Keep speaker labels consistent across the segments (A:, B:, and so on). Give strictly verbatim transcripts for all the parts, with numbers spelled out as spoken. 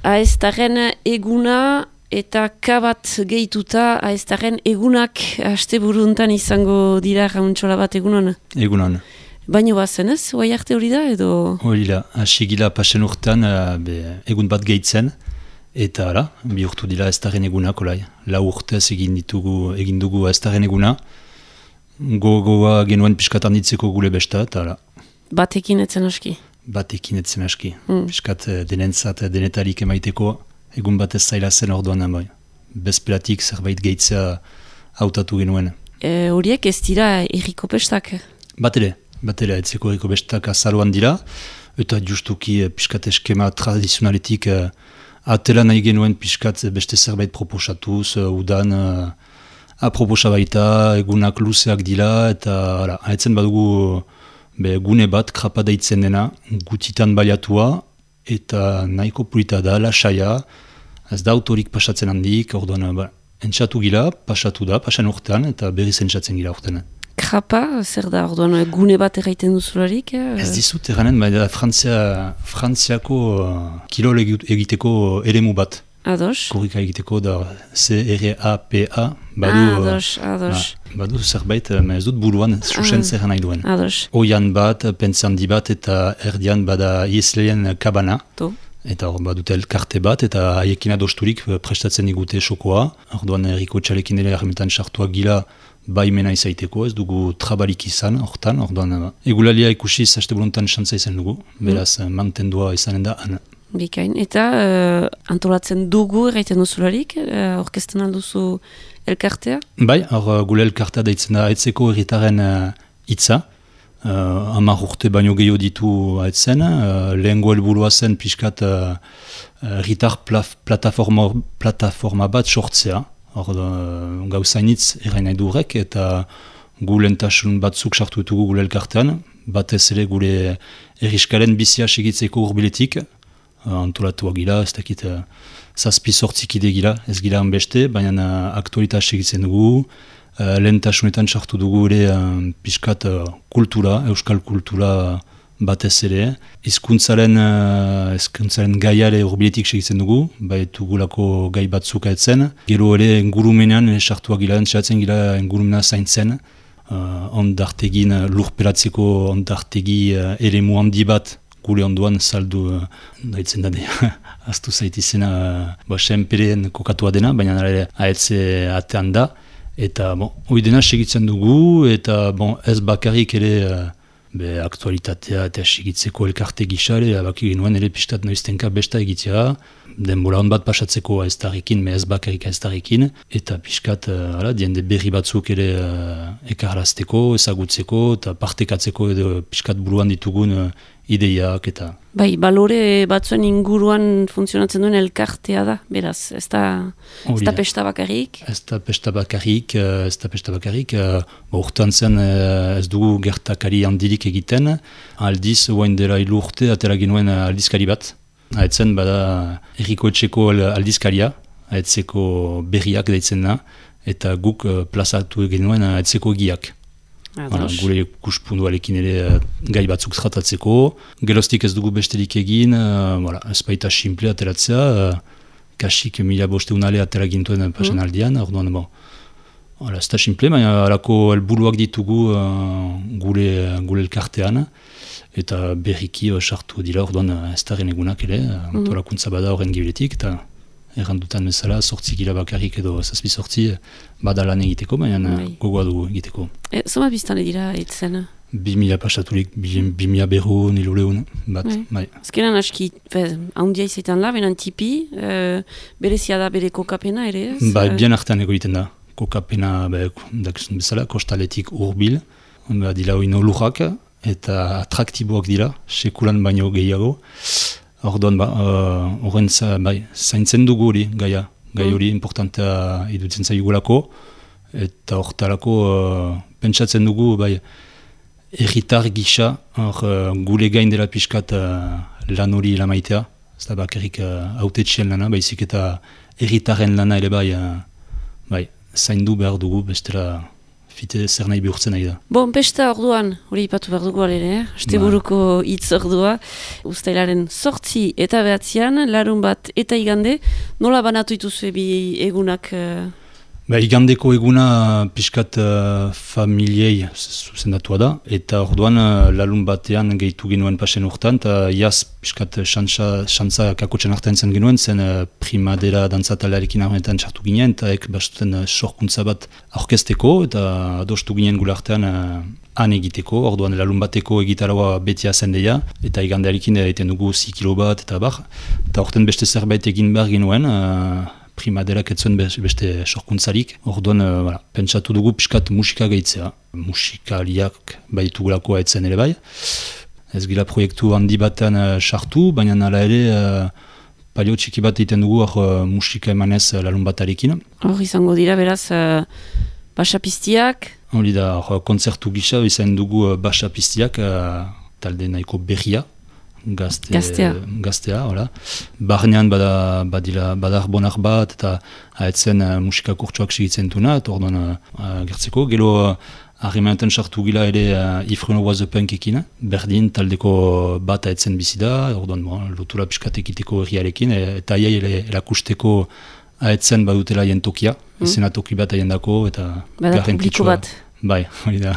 A: Aeztarren eguna eta kabat gehituta aeztarren egunak asteburuntan izango dira jauntxola bat egunon?
B: Egunon.
A: Baino bazen ez, oai arte hori da edo?
B: Hori da, asigila pasen urtean be, egun bat gehitzen eta ara, bi urtu dira aeztarren egunak olai. Lau urtez egin ditugu, egin dugu aeztarren eguna, gogoa genuen piskat handitzeko gule besta eta ara.
A: Batekin etzen aski?
B: Batekin etzen aski.
A: Mm.
B: Piskat denentzat denetarik emaiteko egun batez zaila zen orduan bai. Bezperatik zerbait gehitzea hautatu genuen.
A: E, horiek ez dira erriko pestak?
B: Bat ere, bat ere, etzeko erriko pestak azaroan dira, eta justuki piskat eskema tradizionaletik uh, atela nahi genuen piskat beste zerbait proposatuz, uh, udan uh, aproposa baita, egunak luzeak dira, eta ara, haetzen badugu be, gune bat krapa deitzen dena, gutitan baliatua, eta nahiko pulita da, lasaia, ez da autorik pasatzen handik, orduan, ba, entxatu gila, pasatu da, pasan urtean, eta berriz entxatzen gila urtean.
A: Krapa, zer da, orduan, gune bat erraiten duzularik? Eh?
B: Ez dizut erranen, ba, Frantzia, Frantziako uh, kirol egiteko eremu bat.
A: Ados?
B: Korrika egiteko da C R A P A. Badu,
A: ados, ados.
B: Ba, badu zerbait, ez dut buruan, susen ah, zerra nahi duen.
A: Ados.
B: Oian bat, pentsandi bat, eta erdian bada ieslean kabana.
A: To.
B: Eta hor badute elkarte bat, eta haiekin adosturik prestatzen digute sokoa. Orduan erriko txalekin ere armetan sartuak gila baimena izaiteko, ez dugu trabalik izan, hortan, orduan egulalia ikusiz haste buluntan xantza izan dugu, beraz mm. mantendua izanen da, ana.
A: Bikain, eta uh, antolatzen dugu erraiten duzularik, uh, orkesten alduzu elkartea?
B: Bai, hor gule elkartea daitzen da aetzeko erritaren hitza, uh, uh, hamar urte baino gehiago ditu aetzen, uh, lehengo helburua zen pixkat uh, erritar plataforma, plataforma bat sortzea, hor uh, gauzainitz errain nahi durek, eta gu lehentasun batzuk sartu ditugu gule elkartean, batez ere gure erriskaren bizia segitzeko urbiletik, antolatuak gila, ez dakit uh, zazpi sortzikide gila, ez gila hanbeste, baina uh, aktualita segitzen dugu, uh, lehentasunetan sartu dugu ere uh, pixkat uh, kultura, euskal kultura batez ere, hizkuntzaren uh, hizkuntzaren gaiare urbiletik segitzen dugu, baitu gulako gai batzuk aetzen, gero ere ingurumenean sartuak gila, entzatzen gila ingurumena zaintzen, uh, ondartegin uh, lurperatzeko ondartegi uh, eremu handi bat, gure onduan saldu uh, daitzen da aztu zaitizena uh, senperen kokatua dena, baina ahetze atean da, eta bon, hoi dena segitzen dugu, eta bon, ez bakarrik ere uh, be, aktualitatea eta segitzeko elkarte gisare, baki genuen ere pistat noiztenka besta egitea, denbora hon bat pasatzeko aeztarrekin, me ez bakarrik aeztarrekin, eta piskat uh, ala, diende berri batzuk ere uh, ekarrazteko, ezagutzeko, eta partekatzeko edo piskat buruan ditugun uh, ideiak eta...
A: Bai, balore batzuen inguruan funtzionatzen duen elkartea da, beraz, ez da, ez da pesta bakarrik?
B: Ez da pesta bakarrik, ez da pesta bakarrik, urtean zen ez dugu gertakari handirik egiten, aldiz, oain dela hilu urte, atera genuen aldizkari bat, haetzen bada erriko etxeko aldizkaria, haetzeko berriak daitzen da, eta guk plazatu genuen haetzeko egiak. Hala, gure kuspunduarekin ere gai batzuk tratatzeko, geroztik ez dugu besterik egin, uh, ez baita simple ateratzea, uh, kasik mila bosteunale atera gintuen pasen aldian, mm. orduan, bon, hala, ez da simple, baina alako helburuak ditugu uh, gure, gure elkartean, eta berriki uh, sartu dira, orduan ez da egunak ere, uh, mm. antolakuntza bada horren gibiletik, eta errandutan bezala, sortzi gila bakarrik edo zazpi sortzi bada lan egiteko, baina gogoa dugu egiteko.
A: E, Zoma biztane dira etzen?
B: Bi mila pasaturik, bi mila berro nilo lehun bat. Bai.
A: Azkenan aski, haundia izaiten la, benan tipi, e, berezia da bere kokapena ere ez?
B: Ba, bien artean egoiten da. Kokapena, be, dakizun bezala, kostaletik urbil, ba, dila hori nolurrak, eta atraktiboak dira, sekulan baino gehiago. Orduan, ba, horren uh, bai, zaintzen dugu hori, gaia, gai hori importantea idutzen zaigulako, eta horretarako uh, pentsatzen dugu, bai, erritar gisa, hor uh, gule gain dela pixkat uh, lan hori lamaitea, ez da bakarrik uh, autetxien lana, baizik eta erritaren lana ere bai, uh, bai, zaindu behar dugu, bestela fite zer nahi bihurtzen nahi da.
A: Bon, pesta orduan, hori ipatu behar dugu alere, eh? Asteburuko hitz ordua, uztailaren sortzi eta behatzean, larun bat eta igande, nola banatu ituzue bi egunak? Uh...
B: Ba, igandeko eguna pixkat uh, familiei zuzendatua da, eta orduan uh, larun batean gehitu genuen pasen urtan, eta jaz pixkat xantza kakotxen artean zen genuen, zen uh, primadera dantzatalearekin armenetan txartu ginen, eta ek bastuten uh, sorkuntza bat aurkezteko, eta adostu ginen gula artean uh, han egiteko, orduan larun bateko egitaraua betia zen deia, eta igandearekin egiten dugu zikilo bat, eta bar, eta orten beste zerbait egin behar genuen, uh, primaderak etzuen beste sorkuntzarik. Orduan, uh, voilà, pentsatu dugu pixkat musika gehitzea. Musikaliak baitugulako etzen ere bai. Ez gila proiektu handi batean sartu, uh, baina nala ere uh, palio txiki bat egiten dugu uh, musika emanez uh, larun batarekin.
A: Hor izango dira beraz uh, basapiztiak?
B: Hori da, uh, kontzertu gisa izan dugu uh, basapiztiak, uh, talde nahiko berria. Gazte,
A: gaztea.
B: Gaztea, hola. Barnean bada, badila, badar bonar bat, eta haetzen uh, musika kurtsuak segitzen duna, eta orduan uh, gertzeko. Gero harrimanetan uh, sartu gila ere uh, Ifreno Was a Punk ekin, berdin taldeko bat haetzen bizida, orduan bon, lotura piskat ekiteko herriarekin, eta aiai erakusteko haetzen badutela haien tokia, mm. izena toki bat haien dako, eta
A: bada publiko bat.
B: Bai, hori da.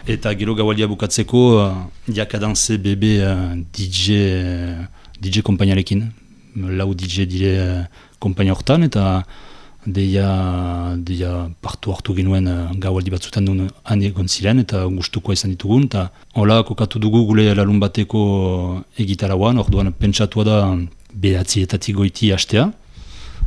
B: Eta gero gaualdia bukatzeko uh, Jakadanse bebe uh, D J uh, D J kompainarekin. Lau D J dire uh, kompaina hortan, eta deia, deia partu hartu genuen uh, gaualdi batzutan duen han egon ziren, eta gustukoa izan ditugun. Eta hola kokatu dugu gule larun bateko egitarauan, orduan pentsatua da behatzietatik goiti hastea.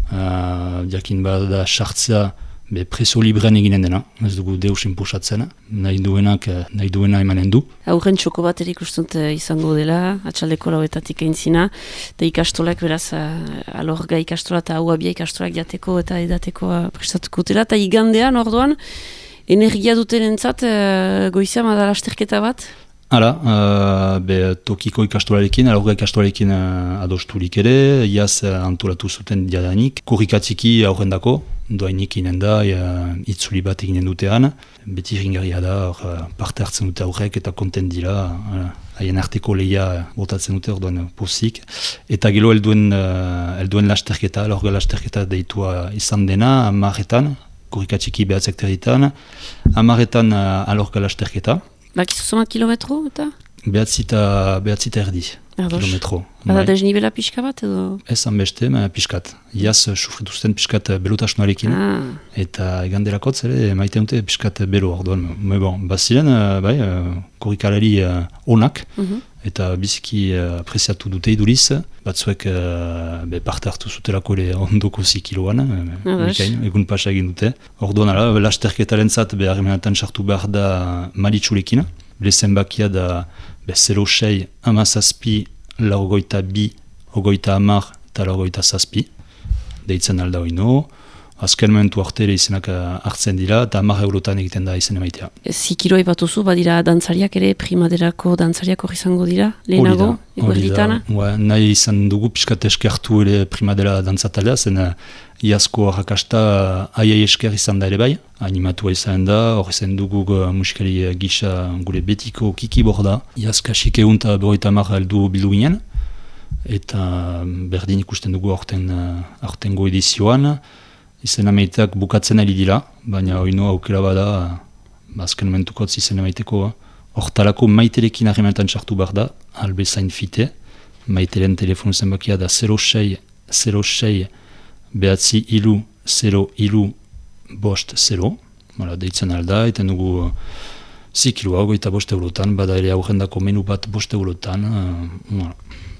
B: Uh, jakin bada sartzea be preso librean eginen dena, ez dugu deus inpusatzen, nahi duenak, nahi duena emanen du.
A: Aurren txoko bat erik ustunt izango dela, atxaldeko lauetatik eintzina, eta ikastolak beraz, alorga ikastola eta hau abia ikastolak jateko eta edateko prestatuko dela, eta igandean orduan, energia duten entzat, goizea madala asterketa bat?
B: Hala, uh, be tokiko ikastolarekin, alorga ikastolarekin uh, adosturik ere, iaz uh, antolatu zuten diadanik, korrikatziki aurrendako, doainik inen da, uh, itzuli bat eginen dutean, beti ringarria da, uh, parte hartzen dute aurrek eta kontent dira, haien uh, arteko lehia botatzen dute orduan pozik, eta gero helduen, uh, helduen lasterketa, alorga lasterketa deitua izan dena, amarretan, korrikatziki behatzek territan, amarretan uh, alorga lasterketa.
A: Bakizu zomat kilometro eta?
B: Behatzita, behatzita erdi,
A: Ados.
B: kilometro.
A: Bada desnibela pixka bat edo?
B: Ez hanbeste, ma pixkat. Iaz sufrituzten pixkat belutasunarekin. Ah. Eta eganderakotz ere maite dute pixkat belo orduan. Me bon, baziren, bai, korrikalari onak, uh-huh. eta biziki apresiatu dute iduriz, batzuek be parte hartu zutelako ere ondoko zikiloan, mikain, egun pasa egin dute. Orduan, ala, lasterketaren zat, behar emenetan sartu behar da maritxulekin. Bele bakia da be zero sei amazazpi laurogeita bi, ogoita amar eta laurogeita zazpi. Deitzen alda oino. Azken momentu artere izenak hartzen dira eta amar eurotan egiten da izen emaitea.
A: Zikiro ipatuzu, badira dantzariak ere, primaderako dantzariak hori izango dira, lehenago, eguerditana?
B: Nahi izan dugu pixkat eskertu ere primadera dantzatalea, zen iazko arrakasta aiai esker izan da ere bai, animatua izan da, hori zen dugu musikari gisa gure betiko kiki borda, iaz kasik egun eta berroita amar heldu bildu ginen, eta berdin ikusten dugu aurtengo edizioan, izen amaitak bukatzen ari dira, baina oino aukera bada, azken momentukotz izen amaiteko, hortalako maiterekin harremenetan sartu behar da, albezain fite, maiteren telefonu zenbakia da zero sei, zero sei, behatzi ilu, zero ilu, bost zero, deitzen alda, eten dugu zikilua, goita bost eurotan, bada ere aurrendako menu bat bost eurotan, uh,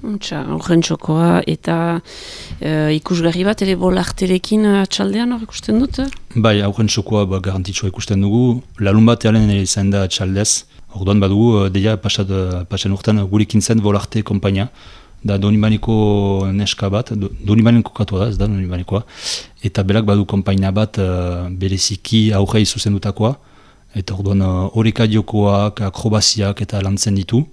A: Untxa, horren txokoa, eta e, ikusgarri bat, ere bolarterekin atxaldean hor ikusten dut?
B: Bai, horren txokoa ba, garantitxoa ikusten dugu. Larun bat ealen ere izan da atxaldez. Orduan badugu, deia pasen urtean gurekin zen bolarte kompainia. Da Donibaneko neska bat, Donibaneko katua da, ez da Donibanekoa. Eta berak badu kompainia bat uh, bereziki aurrei zuzendutakoa. Eta orduan horreka uh, diokoak, akrobaziak eta lantzen ditu.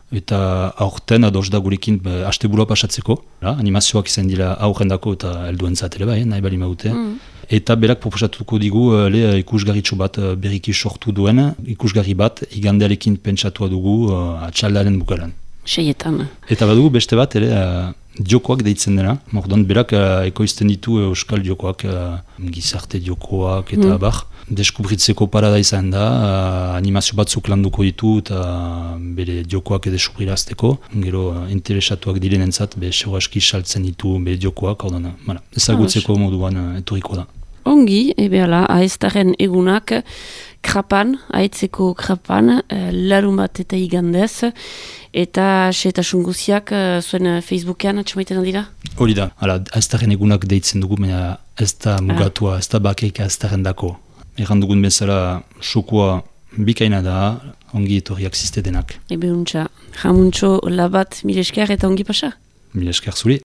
B: Eta aurten ados da gurekin asteburua pasatzeko. La, animazioak izan dira aurrendako eta helduen zatele bai, nahi bali maute. Mm. eta berak proposatuko digu uh, le ikusgarritxo bat uh, berriki sortu duen, ikusgarri bat igandearekin pentsatua dugu uh, atxaldaren bukaran.
A: Seietan.
B: Eta badugu beste bat ere uh, diokoak deitzen dena. Mordoan berak uh, ekoizten ditu uh, euskal diokoak, uh, gizarte diokoak eta mm. bar. Deskubritzeko parada izan da, uh, animazio batzuk landuko ditu eta uh, bere diokoak edeskubrirazteko. Gero uh, interesatuak direnentzat, be seuraski saltzen ditu be diokoak, hau dana. Voilà. Ezagutzeko ah, moduan uh, etoriko da.
A: Ongi, ebe ala, aiztaren egunak, krapan, aitzeko krapan, larun bat eta igandez, eta seetasun guziak zuen Facebookean atxamaiten dira?
B: Hori da, aiztaren egunak deitzen dugu, baina ez da mugatua, ez da bakeik aiztaren dako. Erran dugun bezala, sokoa bikaina da, ongi etorriak ziste denak.
A: Ebe untxa, jamuntxo labat mil esker eta ongi pasa?
B: Mil esker zuri.